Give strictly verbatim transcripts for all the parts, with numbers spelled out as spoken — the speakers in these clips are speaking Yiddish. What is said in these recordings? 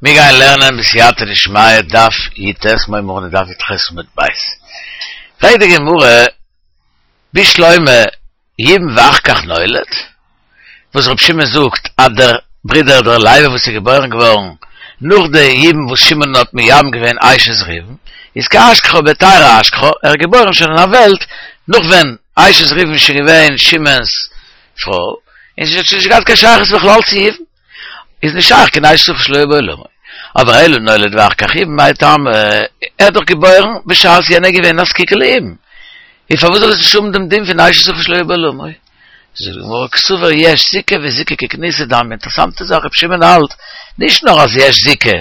מיר גייען לערנען בסייעתא דשמיא דף י"ט מיר הייבן אן דף י"ח עמוד ב'. פרעגט די גמרא, בשלמא ייבם ואחר כך נולד, וואס רבי שמעון זאגט אז דער ברודער דער לוי וואס איז געבוירן געווארן נאך די ייבום וואס שמעון האט מייבם געווען אשת ראובן, איז כאשכחה בהיתרא אשכחה, ער איז געבוירן שוין אין א וועלט נאך ווען אשת ראובן איז שוין געווען שמעון'ס פרוי, און זי האט שוין נישט געהאט קיין שייכות בכלל צו ייבום. איז נישט שייך קיין אשת אחיו שלא היה בעולמו. אבער אלא נולד ואחר כך ייבם מאי טעמא, ער האט דאך געבוירן בשעת יענער איז געווען א זקוקה לייבום, און פארוואס זאל עס נישט האבן דעם דין פון אשת אחיו שלא היה בעולמו? זאגט די גמרא קסבר יש זיקה וזיקה ככנוסה דמיא, אינטערעסאנטע זאך רבי שמעון האלט נישט נאר אז יש זיקה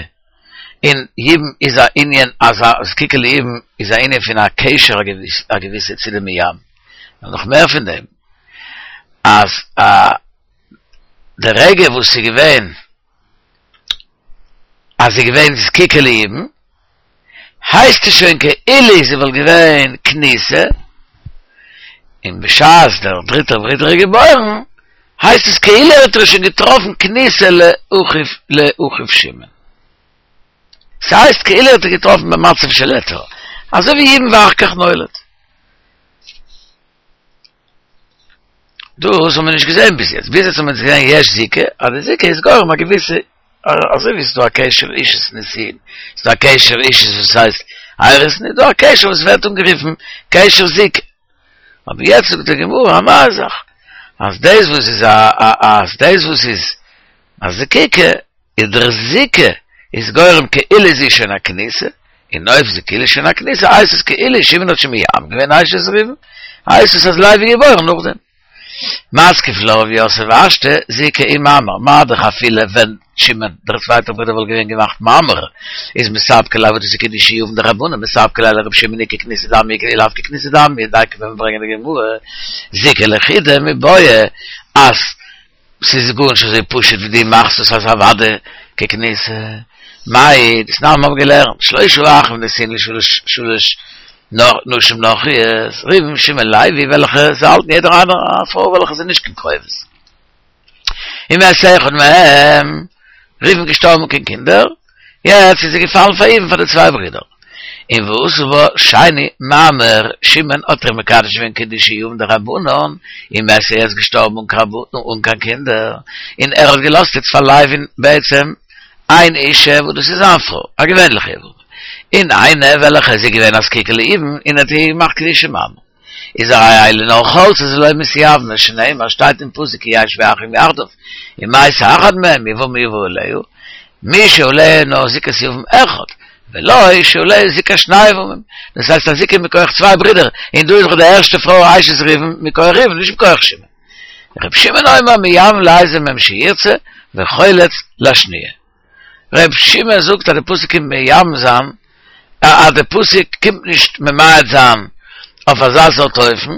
און ייבום איז א ענין אז א זקוקה לייבום איז א ענין פון א קשר א געוויסע צו די מייבם, נאר נאך מער פון דעם אז א די רגע וואס ס'איז געווען אז זי איז געווען זקוקה לייבום, הייסט עס שוין כאילו זי וואלט געווען כנוסה, און בשעת דער דריטער ברודער איז געבוירן, הייסט עס כאילו ער האט איר שוין געטראפן כנוסה לאחיו לאחיו שמעון. ס'הייסט כאילו ער האט איר געטראפן במצב של היתר, אזוי ווי ייבם ואחר כך נולד. דאס האבן מיר נישט געזען ביז יעצט, ביז יעצט האבן מיר געזען יש זיקה, אז די זיקה איז גורם א געוויסע, אזוי ווי ס'איז דא א קשר אישות נישואין, ס'איז דא א קשר אישות וואס הייסט אירוסין, איז דא א קשר וואס ווערט אנגערופן קשר זיקה. אבער יעצט זאגט די גמרא א נייע זאך, אז דאס וואס איז א אז דאס וואס איז א זקוקה, איז דער זיקה איז גורם כאילו זי איז שוין א כנוסה, און אויב זי כאילו שוין א כנוסה הייסט עס כאילו שמעון האט שוין מייבם געווען אשת ראובן, הייסט עס אז לוי איז געבוירן נאכדעם. מתקיף לה רב יוסף השתא זיקה ומאמר, מה דאך אפילו ווען שמעון דער צווייטער ברודער וואלט געווען געמאכט מאמר, איז מספקא ליה וואס דאס איז קידושי יבם דרבנן מספקא ליה לרבי שמעון אי ככנוסה דמיא אי לאו ככנוסה דמיא דייקא ווען מיר ברענגען די גמרא זיקה לחודה מיבעיא אז ס'איז גארנישט אזוי פשוט ווי דו מאכסט עס אז אוודאי ככנוסה. מאי דתנן מיר האבן געלערנט שלשה אחים נשואין לשלש שלש נשים נכריות, ראובן שמעון לוי וועלכע זיי האלטן יעדער איינער א פרוי וועלכע איז נישט קיין קרובות. ומת אחד מהם, ראובן געשטארבן אן קיין קינדער, יעצט איז זי געפאלן פאר יבום פאר די צוויי ברידער. און ועשה בה שני מאמר, שמעון האט איר מקדש געווען קידושי יבם דרבנן, ומתה איז געשטארבן אן קיין קינדער, און ער האט געלאזט איצט פאר לוי'ן בעצם איין אישה וואס דאס איז זיין פרוי, א געווענליכע יבמה, און איינע וועלכע איז געווען א זקוקה ליבום און האט איר געמאכט קידושי מאמר. איז הרי אלו נאר חולצות ולא מתייבמות שנאמר שטייט אין פסוק כי ישבו אחים יחדיו ומת אחד מהם יבמה יבא עליה מי שעליה נאר זיקת יבם אחד ולא שעליה זיקת שני יבמים דאס הייסט א זיקה מכח צוויי ברידער און דא איז דאך די ערשטע פרוי אשת ראובן מכח ראובן נישט מכח שמעון ר' שמעון אומר מייבם לאיזה מהם שירצה וחולץ לשניה ר' שמעון זאגט אז די פסוק קומט מייבם זיין אז די פסוק קומט נישט ממעט זיין אויף אזא סארט אופן,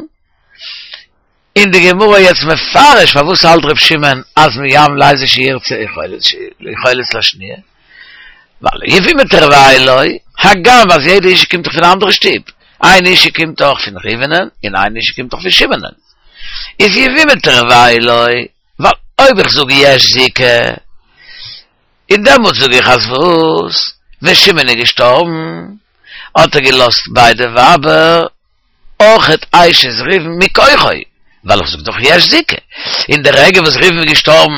און די גמרא יעצט מפרש פארוואס האלט ר' שמעון אז מייבם לאיזה שירצה וחולץ לשניה, ווייל יבמה תרוייהו לא, הגם אז יעדע אישה קומט דאך פון א אנדערע שטוב, איין אישה קומט דאך פון ראובנ'ן און איין אישה קומט דאך פון שמעונ'ן, איז יבמה תרוייהו לא, ווייל אויב איך זאג יש זיקה, און דעמאלטס זאג איך אז וואס? ווען שמעון איז געשטארבן האט ער געלאזט ביידע ווייבער אויכעט אשת ראובן מכוחו, ווייל איך זאג דאך יש זיקה, און די רגע וואס ראובן איז געשטארבן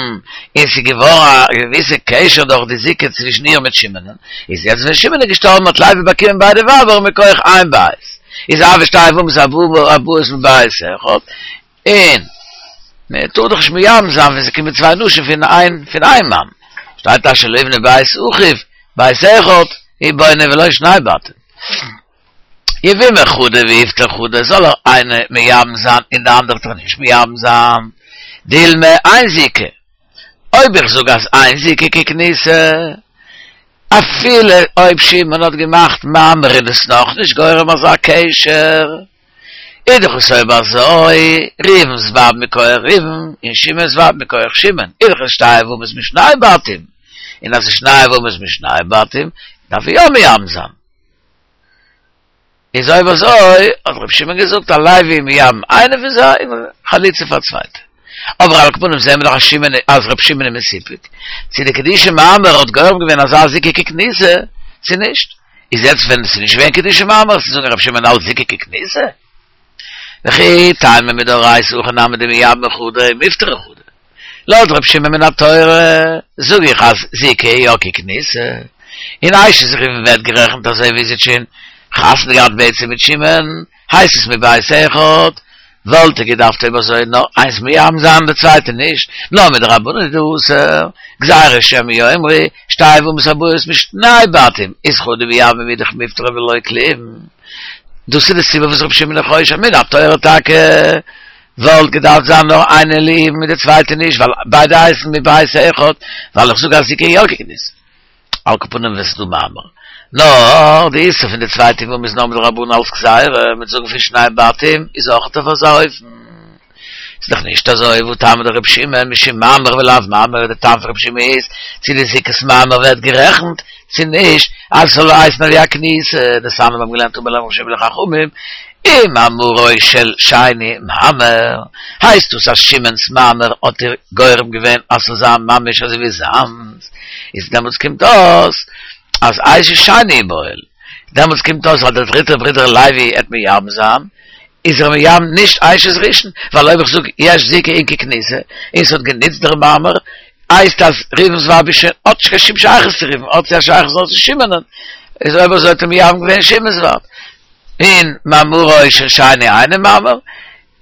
און ס'איז געווארן א געוויסע קשר דורך די זיקה צווישן איר מיט שמעונ'ן, איז יעצט ווען שמעון איז געשטארבן האט לוי באקומען ביידע ווייבער מכח איין בית, איז הוו שתי יבמות הבאות מבית אחד, און מען טאר דאך נישט מייבם זיין ווען ס'קומען צוויי נשים פון איין פון איין מאן, שטייט אשר לא יבנה בית אחיו בית אחד הוא בונה ולא שני בתים. יבמה חדא ויפטר חדא זאל ער איינע מייבם זיין און די אנדערע טאר נישט מייבם זיין, דילמא אין זיקה, אויב איך זאג אז אין זיקה ככנוסה, אפילו אויב שמעון האט געמאכט מאמר איז דאס נאכנישט גורם אזא קשר. איז דאך עס אויב אזוי, ראובן'ס ווייב מכח ראובן, און שמעון'ס ווייב מכח שמעון, איז דאך עס שתי יבמות משני בתים, און אז עס איז שני יבמות משני בתים, דארף ער יא מייבם זיין. איז אויב אזוי, האט רבי שמעון געזאגט אז לוי מייבם איינע פון זיי, און חליצה פאר צווייטע. אבער על כל פנים זעהן מיר דאך אז שמעון אז רב שמעון איז מסופק צו די קידושי מאמר האט גורם געווען אזא זיקה ככניסה צו נישט איז יעצט ווען עס איז נישט געווען קידושי מאמר צו זאגן רב שמעון האלט זיקה ככניסה וכי טעמא מדאורייתא הכי נמי דמייבמי חדא מיפטרי חדא לויט רב שמעון מן התורה זאג איך אז זיקה יא ככניסה און אשת ראובן ווערט גערעכנט אזוי ווי זי האט שוין חתונה געהאט בעצם מיט שמעון הייסט עס מבית אחד וואלט ער געדארפט אויב אזוי נאר איינס מייבם זיין די צווייטע נישט נאר מדרבנן איז דאסור גזירה שמא יאמרו שתי יבמות הבאות משני בתים איז חדא מייבמה ואידך מיפטרא ולא כלום דאס איז די סיבה וואס רבי שמעון איז חושש מן התורה טאקע וואלט געדארפט זיין נאר איינע ליבום מיט די צווייטע נישט ווייל ביידע הייסן מבית אחד ווייל איך זאג אז זיקה יא ככניסה על כל פנים ווען ס'איז דא מאמר נאר די איסור פון די צווייטע יבמה איז נאר מדרבנן אלס גזירה מ'וועט זאגן פון שני בתים איז אויך אויף אזא אופן איז דאך נישט אזוי והא טעמא דרבי שמעון משום מאמר ולאו מאמר די טעם פון רבי שמעון איז צו די זיקת מאמר ווערט גערעכנט צו נישט אז ס'זאל הייסן ווי א כניסה דתניא מיר האבן געלערנט אמר להם רבי שמעון לחכמים אם מאמרו של שני מאמר הייסט דאס אז שמעון'ס מאמר האט איר גורם געווען אז ס'זאל זיין ממש אזוי ווי זיינס איז דעמאלטס קומט אויס אז אשת שני איבעיל דעמאלטס קומט אויס אז דער דריטער ברודער לוי עט מייבם זיין איז ער מייבם נישט אשת ראשון ווייל אויב איך זאג יש זיקה אין ככניסה און ס'האט גענוצט דער מאמר הייסט אז ראובן'ס ווייב איז שוין האט נישט קיין שום שייכות צו ראובן האט זי א שייכות נאר צו שמעונ'ען איז אויב אזוי האט ער מייבם געווען שמעון'ס ווייב און מאמרו של שני אינו מאמר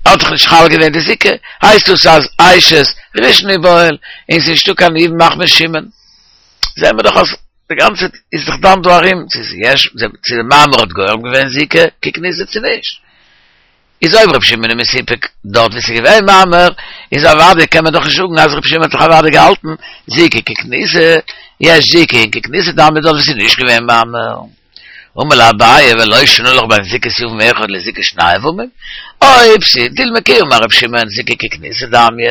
האט דאך נישט חל געווען די זיקה הייסט דאס אז אשת ראשון איבעיל און ס'איז נישטא קיין יבום מחמת שמעון זעהן מיר דאך אז די גאנצע איז דאך דן דא ארום צו ס'איז יש צו די מאמר האט גורם געווען זיקה ככניסה צו נישט איז אויב רבי שמעון איז מסופק דארט ווי ס'איז געווען מאמר איז אוודאי קען מען דאך נישט זאגן אז רבי שמעון האט דאך אוודאי געהאלטן זיקה ככניסה יש זיקה אין ככניסה דמיא דארט ווי ס'איז נישט געווען מאמר אמר ליה אביי ולא שנו לך בין זיקת יבם אחד לזיקת שני יבמים אויב ס'איז דילמא כי אמר רבי שמעון זיקה ככניסה דמיא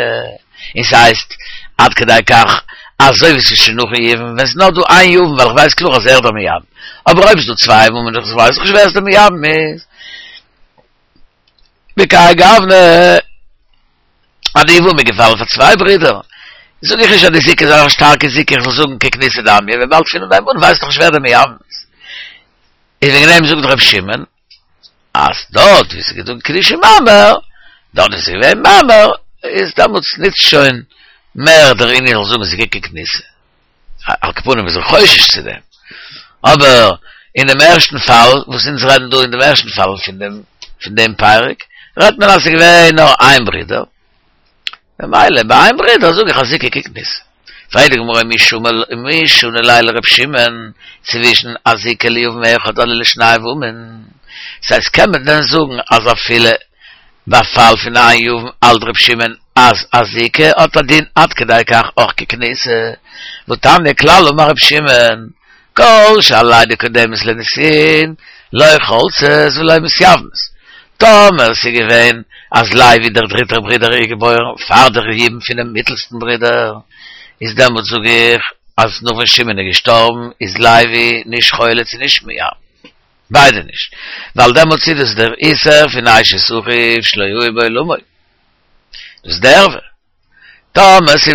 און ס'הייסט עד כדי כך אזוי ווי ס'איז שוין נאכן יבום ווען ס'איז נאר דא איין יבם ווייל איך ווייס קלאר אז ער איז דער מייבם אבער אויב ס'איז דא צוויי יבמים איך ווייס נישט ווער איז דער מייבם איז בכהאי גוונא אז די יבמה איז געפאלן פאר צוויי ברידער זאג איך נישט אז די זיקה איז א שטארקע זיקה איך זאל זאגן ככניסה דמיא וויבאלד פון אנהייב אן ווייסט דאך נישט ווער דער מייבם איז איז וועגן דעם זאגט ר' שמעון אז דארט ווי ס'איז געווען קידושי מאמר דארט ווי ס'איז געווען מאמר איז דעמאלטס ניצט שוין מער דער ענין זאל זאגן זיקה ככניסה על כל פנים איז ער חושש צו דעם אבער אין דעם ערשטן פאל וואס אונז רעדן דא אין דעם ערשטן פאל פון דעם פון דעם פרק רעדט מען אז ס'איז געווען נאר איין ברודער ממילא ביי איין ברודער זאג איך אז זיקה ככניסה פרעגט די גמרא מי מי שני ליה לר' שמעון צווישן א זיקה ליבם אחד אדער לשני יבמים ס'הייסט קען מען דען זאגן אז אפילו ביי פאל פון איין יבם האלט ר' שמעון אז א זיקה האט א דין עד כדי כך אויך ככניסה והתניא כלל אמר ר' שמעון כל שהלידה קודמת לנישואין לא חולצות ולא מתייבמות טאמער ס'איז געווען אז לוי דער דריטער ברודער איז געבוירן פאר דער יבום פונעם מיטלסטן ברודער איז דעמאלט זאג איך אז נאך ווען שמעון איז געשטארבן איז לוי נישט חולץ און נישט מייבם ביידע נישט ווייל דעמאלטס איז דאס דער איסור פון אשת אחיו שלא יהיה בעולמו דאס איז די ערווה טאמער ס'איז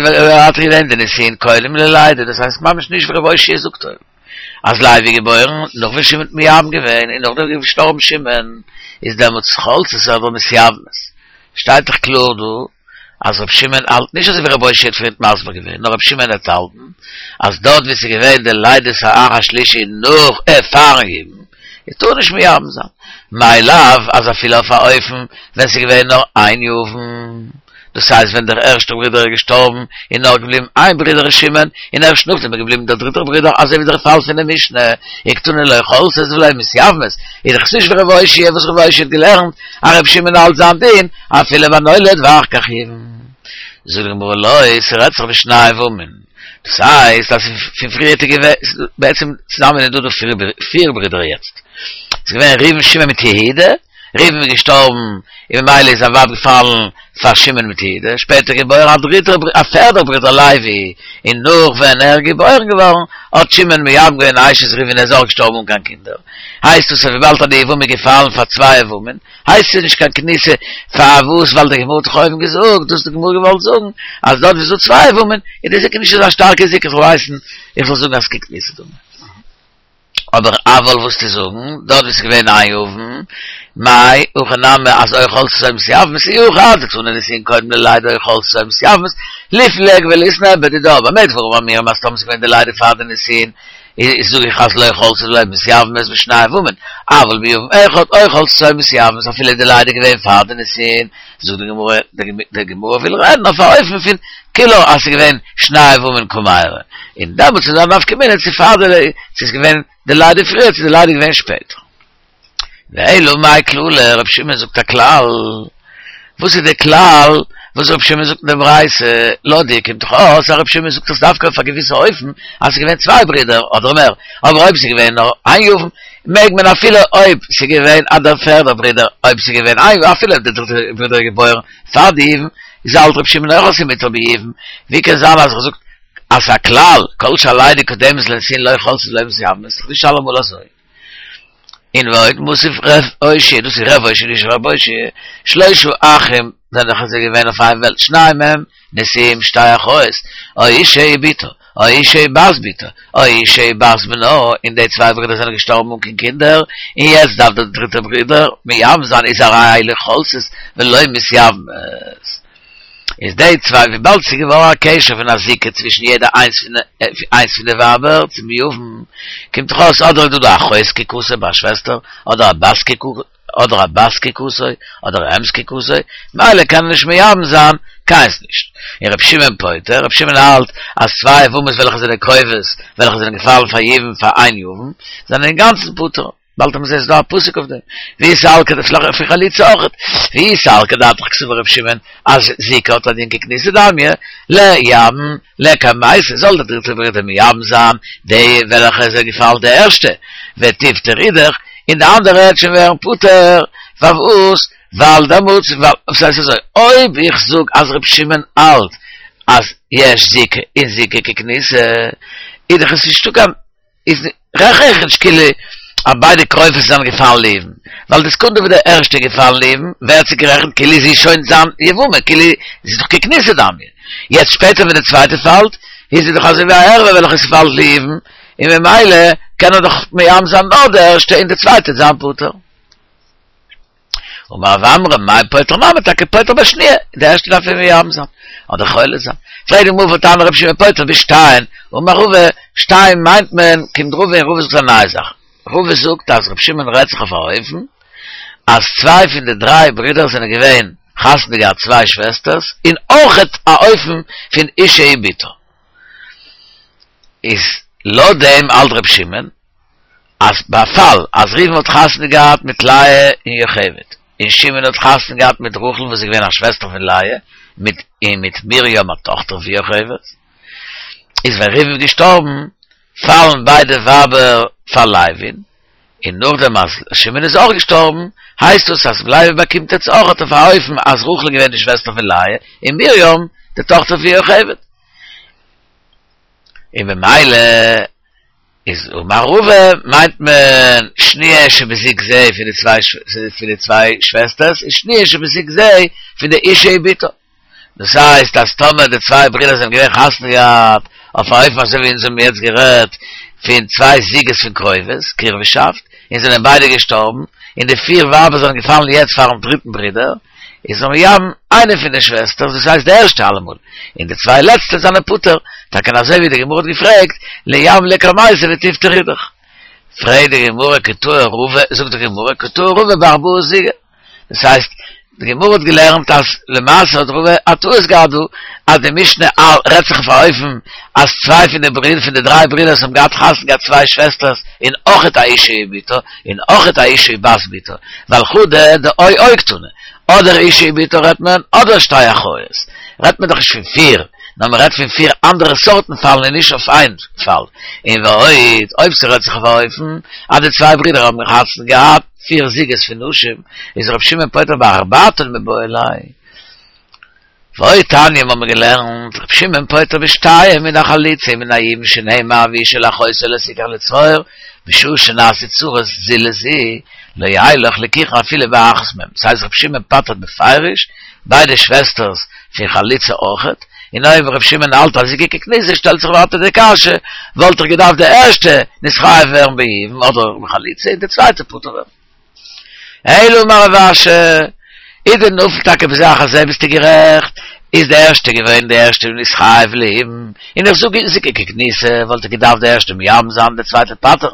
געווען די נישואין קודם ללידה דאס הייסט ממש נישט ווי ר' אושעיא זאגט אויבן אז לוי איז געבוירן נאך ווען שמעון האט מייבם געווען און נאכדעם איז געשטארבן שמעון איז דעמאלטס חולצות אדער מתייבמות שטייט דאך קלאר דא אז ר' שמעון האלט נישט אזוי ווי ר' אושעיא האט פריערט מסביר געווען נאר ר' שמעון האט האלטן אז דארט ווי ס'איז געווען די לידת האח השלישי נאך אה פארן יבום איז טאר נישט מייבם זיין מאי לאו אז אפילו אויף א אופן ווען ס'איז געווען נאר איין יבם דאס הייסט ווען דער ערשטער ברודער איז געשטארבן איז נאר געבליבן איין ברודער שמעון און ערשט נאכדעם איז געבליבן דער דריטער ברודער אזוי ווי דער פאל פון די משנה וקתני לא חולצות ולא מתייבמות איז דאך נישט ווי ר' אושעיא וואס ר' אושעיא האט געלערנט אז ר' שמעון האלט זיין דין אפילו בנולד ואחר כך יבם זאגט די גמרא לא ס'רעדט זיך בשני יבמים דאס הייסט אז פון פריערט איז געווען בעצם צוזאמען איז דא דא פיר ברידער יעצט ס'איז געווען ראובן שמעון מיט יהודה ראובן איז געשטארבן, און ממילא איז זיין ווייב געפאלן פאר שמעון מיט יהודה, שפעטער געבוירן א דריטער א פערדער ברודער לוי, און נאך ווען ער איז געבוירן געווארן האט שמעון מייבם געווען אשת ראובן ער איז אויך געשטארבן אן קיין קינדער, הייסט עס אז וויבאלד אז די יבמה איז געפאלן פאר צוויי יבמים, הייסט עס נישט קיין כניסה, פארוואס ווייל די גמרא האט דאך אויבן געזאגט, דאס האט די גמרא געוואלט זאגן, אז דארט ווי ס'איז דא צוויי יבמים איז די זיקה נישט אזא שטארקע זיקה זאל הייסן איך זאל זאגן אז ככניסה דמי. אבער אבל וואס צו זאגן, דארט ווי ס'איז געווען איין יבם, מאי הכא נמי אז או חולצות או מתייבמות אי הכי אדקתני נישואין קודם ללידה או חולצות או מתייבמות, ליפלוג וליתני בדידה, במה דברים אמורים אז טאמער ס'איז געווען די לידה פאר די נישואין, איז זאג איך אז לא חולצות ולא מתייבמות בשני יבמים, אבל ביבם אחד או חולצות או מתייבמות אפילו די לידה איז געווען פאר די נישואין, זאגט די גמרא, די גמרא וויל רעדן אויף א אופן פון כולה אז ס'איז געווען שני יבמים קמיירי, און דעמאלטס איז א נפקא מינה צו פאר די צו ס'איז געווען די לידה פריער צו די לידה איז געווען שפעטער. ואלא מאי כללא, רבי שמעון זאגט א כלל, וואס איז די כלל וואס רבי שמעון זאגט אין די ברייתא, לויט דיר קומט דאך אויס אז רבי שמעון זאגט עס דווקא אויף א געוויסע אופן אז ס'איז געווען צוויי ברידער אדער מער, אבער אויב ס'איז געווען נאר איין יבם מעג מען אפילו אויב ס'איז געווען א דער פערדער ברודער אויב ס'איז געווען איין אפילו אויב דער דריטער ברודער איז געבוירן פאר די יבום איז האלט רבי שמעון אויך אז ס'איז מותר ביבום ווי קען זיין אז ער זאגט אז ס'איז א כלל כל שהלידה קודמת לנישואין לא חולצות ולא מתייבמות ס'איז דאך נישט אלעמאל אזוי און ועוד מתיב ר' אושעיא דאס איז ר' אושעיא נישט רב אושעיא שלושה אחים זענען דאך אזוי געווען אויף איין וועלט שניים מהם נשואים שתי אחיות או אשה ובתה או אשה ובת בתה, או אשה ובת בנה, און די צוויי ברידער זענען געשטארבן אן קיין קינדער, און יעצט דארף דער דריטער ברודער מייבם זיין איז הרי אלו חולצות ולא מתייבמות. איז די צוויי וויבאלד ס'איז געווארן א קשר פון א זיקה צווישן יעדע איינס פון איינס פון די ווייבער צום יבם, קומט דאך אויס אדער איז דא דא אחות זקוקתו ביי א שוועסטער, אדער א בת אדער א בת זקוקתו, אדער א אם זקוקתו, ממילא קען ער נישט מייבם זיין קיינס נישט. און רבי שמעון פוטר, רבי שמעון האלט אז צוויי יבמות וועלכע זענען קרובות, וועלכע זענען געפאלן פאר יבום פאר איין יבם, זענען אינגאנצן פטור. באלד וועט מען זען ס'איז דא א פסוק אויף דעם. ואי סלקא דעתך פון חליצה אויכעט. ואי סלקא דעתך קסבר רבי שמעון אז זיקה האט א דין ככניסה דמיא, לייבם לקמייתא, זאל דער דריטער ברודער מייבם זיין די וועלכע איז געפאלן די ערשטע, ותיפטר אידך, און די אנדערע וועט שוין ווערן פטור, פארוואס? ווייל דעמאלטס, ווייל, ס'הייסט אזוי, אויב איך זאג אז ר' שמעון האלט אז יש זיקה און זיקה ככניסה, איז דאך עס נישטא קיין, איז רעכן איך נישט כאילו אז ביידע קרובות זענען געפאלן ליבום, ווייל די סעקונדע וואס די ערשטע איז געפאלן ליבום, ווערט זי גערעכנט כאילו זי איז שוין זיין יבמה, כאילו זי איז דאך ככניסה דמיא. יעצט שפעטער ווען די צווייטע פאלט, איז זי דאך אזוי ווי א ערווה וועלכע ס'פאלט ליבום, און ממילא קען ער דאך מייבם זיין נאר די ערשטע און די צווייטע וועט זיין פטור. אמר רב עמרם מאי פוטר נמי טאקע פוטר בשניה, די ערשטע דארף ער מייבם זיין, אדער חולץ זיין. פרעגט די גמרא והתניא רבי שמעון פוטר בשתיהן, אמר רבא, שתיהן מיינט מען, קומט רבא און רבא זאגט א נייע זאך, רבא זאגט אז רבי שמעון רעדט זיך אויף א אופן אז צוויי פון די דריי ברידער זענען געווען חתונה געהאט צוויי שוועסטערס, און אויכעט א אופן פון אשה ובתה. איז לויט דעם האלט רבי שמעון אז ביי א פאל אז ראובן האט חתונה געהאט מיט לאה און יוכבד, און שמעון האט חתונה געהאט מיט רחל וואס איז געווען א שוועסטער פון לאה, מיט און מיט מרים א טאכטער פון יוכבד, איז ווען ראובן איז געשטארבן פאלן ביידע ווייבער פאר לוי'ן, און נאכדעם אז שמעון איז אויך געשטארבן, הייסט דאס אז לוי באקומט יעצט אויך אויף א אופן אז רחל איז געווען די שוועסטער פון לאה, און מרים די טאכטער פון יוכבד. און במילא איז אמר רבא מיינט מען שניה שבזוג זה פון די צוויי פון די צוויי שוועסטערס און שניה שבזוג זה פון די אשה ובתה. דאס הייסט אז טאמער די צוויי ברידער זענען געווען חתונה געהאט אויף א אופן אזוי ווי אונז האבן יעצט גערעדט פון צוויי זוגות פון קרובות, קירוב'שאפט, און זענען ביידע געשטארבן, און די פיר ווייבער זענען געפאלן יעצט פארן דריטן ברודער, איז ער מייבם איינע פון די שוועסטערס, דאס הייסט די ערשטע אלעמאל, און די צוויי לעצטע זענען פטור, טאקע אזוי ווי די גמרא האט געפרעגט, לייבם לקמייתא ותיפטר אידך. פרעגט די גמרא כי טעה רבא, זאגט די גמרא כי טעה רבא בארבעה זוגי, דאס הייסט, די גמרא האט געלערנט אז למעשה האט רבא א טעות געהאט דא, אז די משנה רעדט זיך אויף א אופן אז צוויי פון די ברידער פון די דריי ברידערס האבן געהאט חתונה געהאט צוויי שוועסטערס און אויכעט א אשה ובתה און אויכעט א אשה ובת בתה, ווייל חדא דאו או קתני, אדער אשה ובתה רעדט מען אדער שתי אחיות, רעדט מען דאך נישט פון פיר, נאר מען רעדט פון פיר אנדערע סארטן פאלן און נישט אויף איין פאל, און ועוד, אויב ס'רעדט זיך אויף א אופן אז די צוויי ברידער האבן חתונה געהאט, פיר זוגות פון נשים, איז רב שמעון פוטר בארבעתן מיבעי ליה. ועוד תניא האבן מיר געלערנט, רב שמעון פוטר בשתיים מן החליצה ומן הייבום שנאמר ואשה אל אחותה לא תקח לצרור, בשעה שנעשו צרות זו לזו, לא ילך לקיחה אפילו באחת מהן. דאס הייסט רב שמעון פטר'ט בפירוש ביידע שוועסטערס פון חליצה אויכעט, און אויב רב שמעון האלט אז זיקה ככניסה שטעלט זיך ווייטער די קשיא, וואלט דאך געדארפט די ערשטע נתחייב ווערן בייבום אדער בחליצה און די צווייטע פטור ווערן. אלא אמר רב אשי, איז דנפל טאקע בזה אחר זה ביסטו גערעכט, איז די ערשטע געווען די ערשטע נתחייב לייבום, און איך זאג זיקה ככניסה וואלט ער געדארפט די ערשטע מייבם זיין די צווייטע פטר'ן,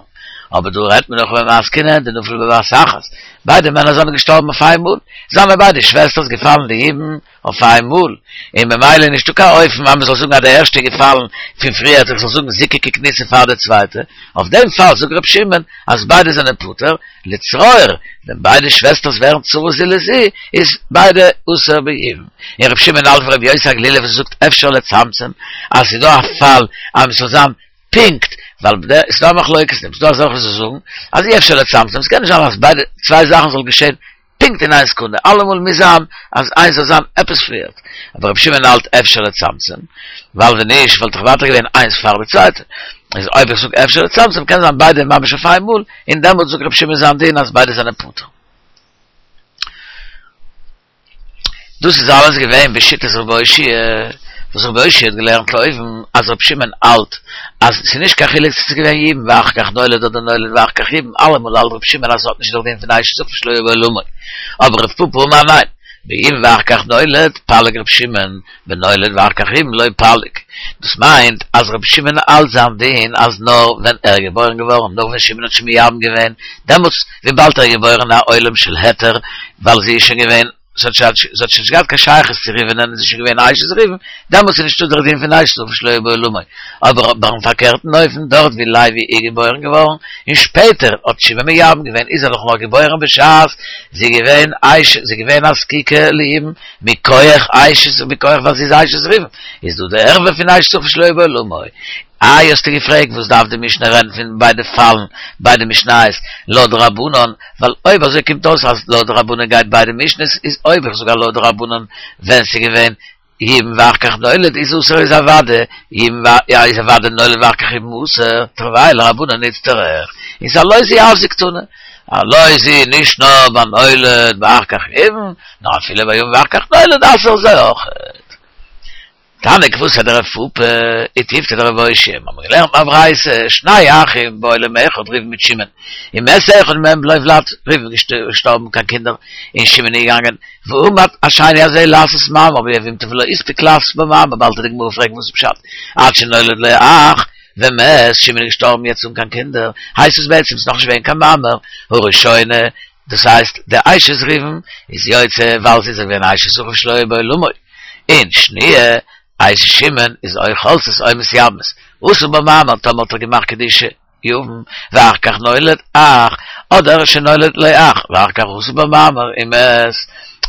אבער דא רעדט מען נאך במתקינן דנפלו בבת אחת, ביידע מענער זענען געשטארבן אויף איין מאל, זענען ביידע שוועסטערס געפאלן לייבום אויף איין מאל, און ממילא איז נישטא קיין אופן אז מען זאל זאגן אז די ערשטע איז געפאלן פון פריערט איך זאל זאגן זיקה ככניסה פאר די צווייטע, אויף דעם פאל זאגט ר' שמעון אז ביידע זענען פטור, לצרור, ווען ביידע שוועסטערס ווערן צרות זו לזו איז ביידע אסור בייבום, און ר' שמעון האלט ווי ר' יוסי הגלילי וואס זאגט אפשר לצמצם אז ס'איז דא א פאל אז מען זאל זיין פונקט, ווייל ס'איז דא א מחלוקת, ס'איז דא אזעלכע וואס זאגן אז אי אפשר לצמצם, ס'קען נישט זיין אז ביידע צוויי זאכן זאל געשען פונקט אין איין סעקונדע, אלעמאל מוז זיין אז איינס זאל זיין עפעס פריערט, אבער רבי שמעון האלט אפשר לצמצם, ווייל ווען נישט וואלט דאך ווייטער געווען איינס פאר די צווייטע, איז אויב איך זאג אפשר לצמצם קען זיין ביידע ממש אויף איין מאל, און דעמאלטס זאגט רבי שמעון זיין דין אז ביידע זענען פטור. דאס איז אלעס געווען בשיטת רבי אושעיא, וואס רבי אושעיא האט געלערנט אויבן אז רבי שמעון האלט אז ס'איז נישט קיין חילוק צו ס'איז געווען יבום ואחר כך נולד אדער נולד ואחר כך יבום, אלעמאל האלט רבי שמעון אז ס'האט נישט דער דין פון אשת אחיו שלא היה בעולמו. אבער רב פפא אמר ניין, ביבום ואחר כך נולד פליג רבי שמעון, בנולד ואחר כך יבום לא פליג. דאס מיינט אז רבי שמעון האלט זיין דין אז נאר ווען ער איז געבוירן געווארן נאך ווען שמעון האט שוין מייבם געווען, דעמאלטס וויבאלד ער איז געבוירן אין א עולם של היתר ווייל זי איז שוין געווען זי האט שוין נישט געהאט קיין שייכות צו ראובנ'ען, זי איז שוין געווען אשת ראובן, דעמאלטס איז נישטא דער דין פון אשת אחיו שלא היה בעולמו. אבער ביים פארקערטן אופן, דארט ווי לוי איז געבוירן געווארן, און שפעטער האט שמעון מייבם געווען, איז ער דאך נאר געבוירן בשעת זי איז געווען אשת, זי איז געווען א זקוקה לייבום, מכח אשת, מכח ווייל זי איז אשת ראובן, איז דא די ערווה פון אשת אחיו שלא היה בעולמו. איי האסטו געפרעגט וואס דארף די משנה רעדן פון ביידע פאלן, ביידע משניות, לויט די רבנן, ווייל אויב אזוי קומט אויס אז לויט די רבנן גייט ביידע משניות, איז אויב איך זאג אז לויט די רבנן ווען ס'איז געווען יבום ואחר כך נולד איז אסור איז אוודאי יבום איז אוודאי נולד ואחר כך יבום אסור, תרוייהו לרבנן איצטריך, איז הלא זו אף זו קתני, הלא זו נישט נאר ביי נולד ואחר כך יבום, נאר אפילו ביי יבום ואחר כך נולד אסור זיי אויכעט. תניא כוותיה דרב פפא, ותיובתא דרב אושעיא, מיר האבן געלערנט אין א ברייתא, שני אחים בעולם אחד ראובן מיט שמעון, ומת אחד מהם בלא ולד, ראובן איז געשטארבן קיין קינדער, און שמעון איז געגאנגען, ועמד השני הזה לעשות מאמר ביבמתו ולא הספיק לעשות בה מאמר, באלד וועט די גמרא פרעגן וואס איז פשט, עד שנולד לו אח, ומת, שמעון איז געשטארבן יעצט אן קיין קינדער, הייסט עס בעצם ס'איז נאכנישט געווען קיין מאמר, הראשונה, דאס הייסט די אשת ראובן איז יוצא ווייל זי איז געווען אשת אחיו שלא היה בעולמו, און שניה, אשת שמעון איז או חולצת או מתייבמת, עשה בה מאמר טאמער האט ער געמאכט קידושי יבם ואחר כך נולד אח, אדער שנולד לו אח ואחר כך עשה בה מאמר ומת,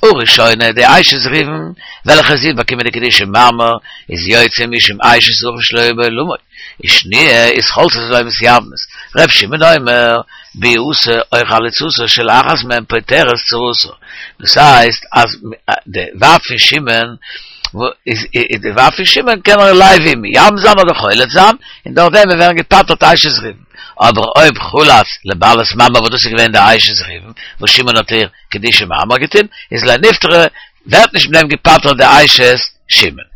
הראשונה די אשת ראובן וועלכע זי האט באקומען די קידושי מאמר איז יוצא משום אשת אחיו שלא היה בעולמו, ושניה איז חולצת ולא מתייבמת, ר' שמעון אומר, ביאתה או חליצתה של אחת מהן פוטרת צרתה, דאס הייסט אז די ווייב פון שמעון איז די ווייב פון שמעון קען ער לוי מייבם זיין אדער חולץ זיין, און דורך דעם ווערן געפטר'ט אשת ראובן, אבער אויב חלץ לבעלת מאמר וואס דאס איז געווען די אשת ראובן וואס שמעון האט איר קידושי מאמר געטון, איז לא נפטרה, ווערט נישט מיט דעם געפטר'ט די אשת שמעון.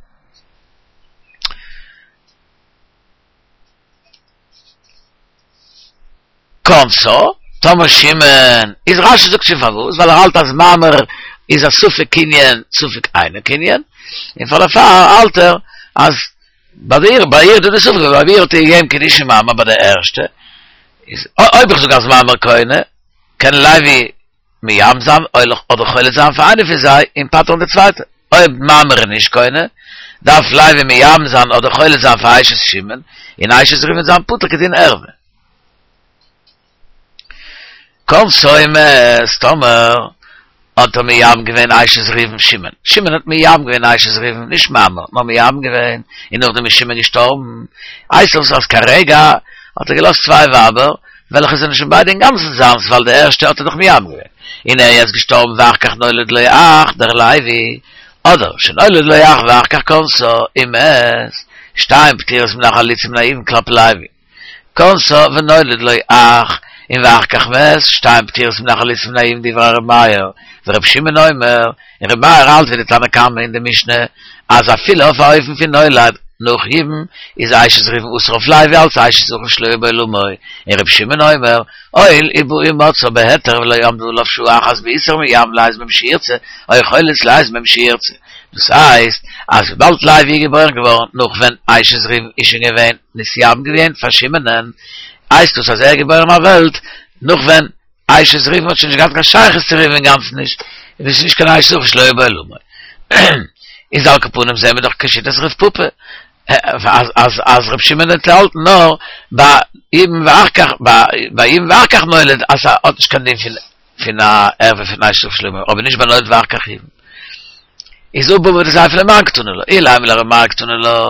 כנסה, טאמער שמעון, איז רשי זאגט שוין פארוואס, ווייל ער האלט אז מאמר איז א ספק קנין ספק אינו קנין, און פאר דערפאר האלט ער אז ביי דיר ביי איר איז דא די ספק, ווייל ביי איר האט ער געגעבן קידושי מאמר ביי די ערשטע, איז אויב איך זאג אז מאמר קונה, קען לוי מייבם זיין אדער חולץ זיין פאר איינע פון זיי און פטר'ן די צווייטע. אויב מאמר איז נישט קונה, דארף לוי מייבם זיין אדער חולץ זיין פאר אשת שמעון, און אשת ראובן זיין פטור כדין ערווה. כנסה ומת, טאמער האט ער מייבם געווען אשת ראובן שמעון, שמעון האט מייבם געווען אשת ראובן, נישט מאמר, נאר מייבם געווען, און נאכדעם איז שמעון געשטארבן, הייסט עס אז כרגע האט ער געלאזט צוויי ווייבער, וועלכע זענען שוין ביידע אינגאנצן זיינס, ווייל די ערשטע האט ער דאך מייבם געווען. און ער איז געשטארבן ואחר כך נולד לו אח, דער לוי, אדער שנולד לו אח ואחר כך כנסה ומת, שתיים פטירות מן החליצה מן הייבום כלפי לוי. כנסה ונולד לו אח, און ואחר כך מת, שתיים פטירות מן החליצה מן הייבום דברי ר' מאיר, ור' שמעון אומר, און ר' מאיר האלט ווי די תנא קמא אין די משנה, אז אפילו אויף א אופן פון נולד נאך ייבום איז אשת ראובן אסור אויף לוי אלס אשת אחיו שלא היה בעולמו, און ר' שמעון אומר, הואיל ובא ומצאה בהיתר ולא עמדה עליו שעה אחת באיסור מייבם לאיזה מהם שירצה, או חולץ לאיזה מהם שירצה. דאס הייסט, אז וויבאלד לוי איז געבוירן געווארן נאך ווען אשת ראובן איז שוין געווען נתייבם געווען פאר שמעונ'ען, הייסט דאס אז ער איז געבוירן אויף וועלט נאך ווען אשת ראובן האט שוין נישט געהאט קיין שייכות צו ראובן אינגאנצן נישט, און עס איז נישט קיין אשת אחיו שלא היה בעולמו. איז על כל פנים זעהן מיר דאך כשיטת רב פפא אז אז אז רב שמעון האט געהאלטן נאר ביי ייבום ואחר כך ביי ייבום ואחר כך נולד אז ס'האט נישט קיין דין פון פון א ערווה פון אשת אחיו שלא היה אבער נישט ביי נולד ואחר כך ייבום. איז הא בבא דסיפא למאן קתני לה, אילימא לר' מאיר קתני לה,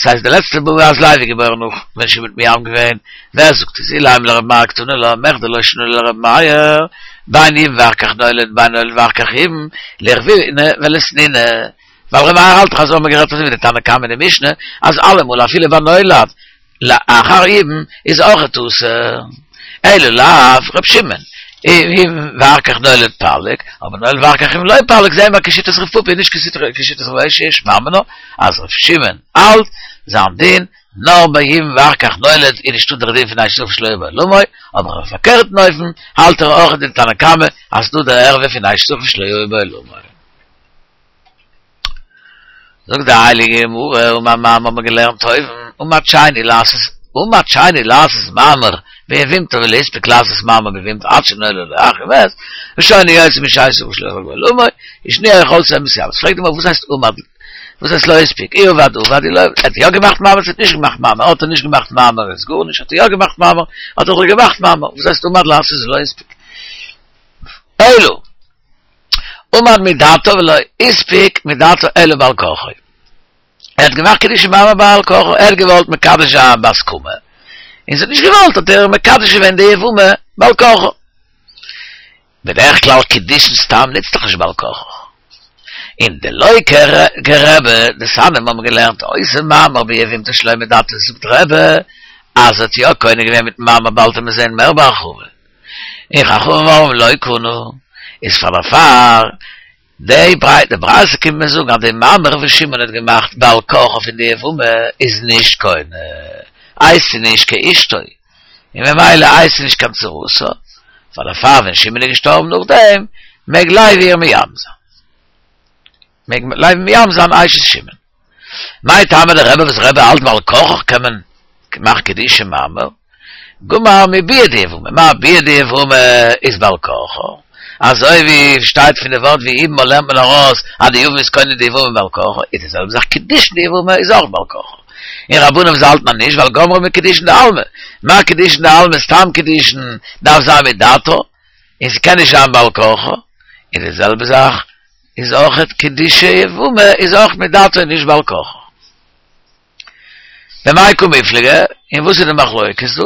ס'הייסט די לעצטע בבא אז לוי איז געבוירן נאך ווען שמעון האט מייבם געווען, ווער זאגט עס אילימא לר' מאיר קתני לה, מכדי לא שנא לר' מאיר, בין ייבם ואחר כך נולד בין נולד ואחר כך ייבם, ליחוויניה וליתניניה, ווייל ר' מאיר האלט דאך אזוי האבן מיר גערעדט אזוי ווי די תנא קמא אין די משנה, אז אלעמאל אפילו ביי נולד לאחר ייבום איז אויכעט אסור. אלא לאו ר' שמעון, ייבם ואחר כך נולד פליג, אבער נולד ואחר כך ייבם לא פליג, זעהן מיר כשיטת רב פפא נישט כשיטת רב אושעיא שמע מינה, אז ר' שמעון האלט זיין דין נאר ביי ייבם ואחר כך נולד איז נישטא דער דין פון אשת אחיו שלא היה בעולמו, אבער אויף פארקערטן אופן האלט ער אויך די תנא קמא אז ס'דא דער ערווה פון אשת אחיו שלא היה בעולמו. זאגט די הייליגע גמרא, אמר מר האבן מיר געלערנט אויבן, עמד שני לעשות, עמד שני לעשות מאמר ביבמתו ולא הספיק לעשות מאמר ביבמתו עד שנולד לו אח ומת, ראשונה יוציא משאשת אחיו שלא היה בעולמו, ושניה חולצות ומתייבמות. פרעגט די גמרא וואס הייסט עמד, וואס הייסט לא הספיק, אי עבד עבד, אי לא עבד, האט ער יא געמאכט מאמר צו האט נישט געמאכט מאמר, האט ער נישט געמאכט מאמר איז גארנישט, האט ער יא געמאכט מאמר, האט ער דאך געמאכט מאמר, וואס הייסט עמד לעשות ולא הספיק? אלא עמד מדעתו ולא הספיק מדעתו אלא בעל כרחו. ער האט געמאכט קידושין מאמר בעל כרחו, ער האט געוואלט מקדש זיין בהסכמה, און זי האט נישט געוואלט האט ער מקדש געווען די יבמה בעל כרחו. בדרך כלל קידושין סתם נוצט דאך נישט בעל כרחו. און דלא כרבי, דתניא מיר האבן געלערנט העושה מאמר ביבמתו שלא מדעתו זאגט רבי אז ער האט יא קונה געווען מיטן מאמר באלד וועט מען זען מער בהרחבה. און חכמים אומרים לא קנה, איז פאר דערפאר די ברייתא, די ברייתא קומט מיר זאגן אז די מאמר וואס שמעון האט געמאכט בעל כרחו פון די יבמה איז נישט קונה, הייסט זי נישט כאשתו, און ממילא הייסט זי נישט קיין צרתה, פאר דערפאר ווען שמעון איז געשטארבן נאכדעם מעג לוי איר מייבם זיין. מעג לוי מייבם זיין אשת שמעון. מאי טעמא דרבי וואס רבי האלט בעל כרחך קען מען מאכן קידושין מאמר, גמר מביאה דיבמה, מה ביאה דיבמה איז בעל כרחו, אזוי ווי שטייט פון די ווארט ויבמה לערנט מען ארויס אז די יבם איז קונה די יבמה בעל כרחו, איז די זעלבע זאך קידושין דיבמה איז אויך בעל כרחו. און רבנן וואס האלטן אז נישט ווייל גמרה מקידושין דעלמא, מה קידושין דעלמא סתם קידושין דארף זיין מדעתו, און ס'קען נישט זיין בעל כרחו, איז די זעלבע זאך איז אויכעט קידושי יבמה איז אויך מדעתו און נישט בעל כרחו. במאי קא מיפלגי, און וואס איז די מחלוקת דא?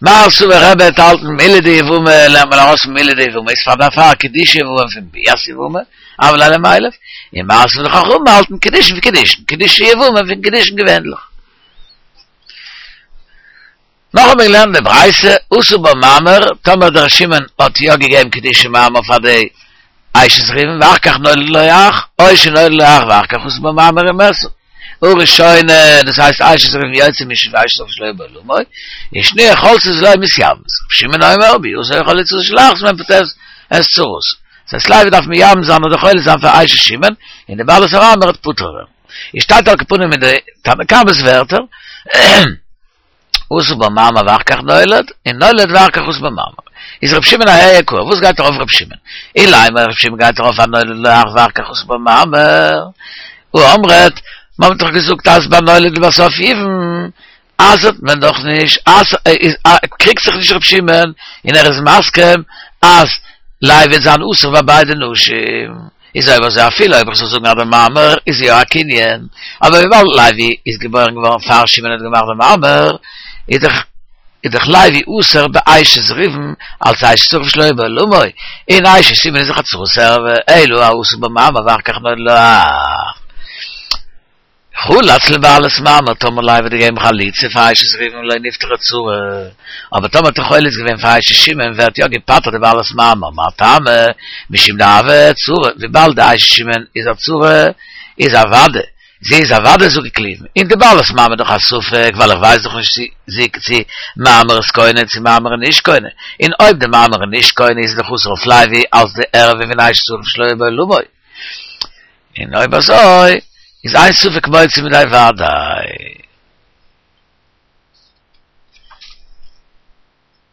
מר סבר רבי וועט האלטן מילי דיבמה לערנט מען ארויס פון מילי דיבמה איז פאר דערפאר קידושי יבמה פון ביאת יבמה, הוה ליה למילף, און מר סבר די חכמים האלטן קידושין פון קידושין, קידושי יבמה פון קידושין געווענליך. נאך האבן מיר געלערנט די ברייתא, עשה בה מאמר, טאמער דער שמעון האט יא געגעבן קידושי מאמר פאר די אשת ראובן ואחר כך נולד לו אח, או שנולד לו אח ואחר כך עשה בה מאמר ומתה. הראשונה, דאס הייסט אשת ראובן יוציא משום אשת אחיו שלא היה בעולמו, ושניה חולצות ולו מתייבמות. רבי שמעון אומר, ביאתו או חליצתו של אחת מהן פוטרת את צרתה. דאס הייסט לוי דארף מייבם זיין אדער חולץ זיין פאר אשת שמעון, און די בעלת המאמר וועט פטור ווערן. עס שטייט על כל פנים אין די תנא קמא'ס ווערטער. עשה בה מאמר ואחר כך נולד, און נולד ואחר כך עשה בה מאמר. איז ר' שמעון אהייא קאי, וואס גייט ארויף ר' שמעון? אילימא ר' שמעון גייט ארויף אויף נולד לו אח ואחר כך עשה בה מאמר. הא אמרת, מען האט דאך געזאגט אז ביי נולד לבסוף ייבם אסר'ט מען דאך נישט, קריגט זיך נישט ר' שמעון און ער איז מסכים אז לוי וועט זיין אסור ביי ביידע נשים. איז אויב אזוי אפילו אויב איך זאל זאגן אז דער מאמר איז יא א קנין, אבער וויבאלד לוי איז געבוירן געווארן פאר שמעון האט געמאכט דעם מאמר, איז דאך איז דאך לוי אסור באשת ראובן אלס אשת אחיו שלא היה בעולמו, און אשת שמעון איז דאך א צרת ערווה, אלא העשוי בה מאמר ואחר כך נולד לו אח. חלץ לבעלת מאמר, טאמער לוי האט געגעבן חליצה פאר אשת ראובן לא נפטרה צרה, אבער טאמער האט ער חולץ געווען פאר אשת שמעון ווערט יא געפטר'ט די בעלת מאמר, מאי טעמא? משום דהוה צרה, וויבאלד די אשת שמעון איז א צרה איז אוודאי זי איז אוודאי זקוק ליבום, און די בעלת מאמר איז דאך א ספק ווייל איך ווייס דאך נישט צו זי צו מאמר איז קונה צו מאמר איז נישט קונה, און אויב די מאמר איז נישט קונה איז זי דאך אסור אויף לוי אלס די ערווה פון אשת אחיו שלא היה בעולמו. און אויב אזוי איז אין ספק מוציא מידי וודאי.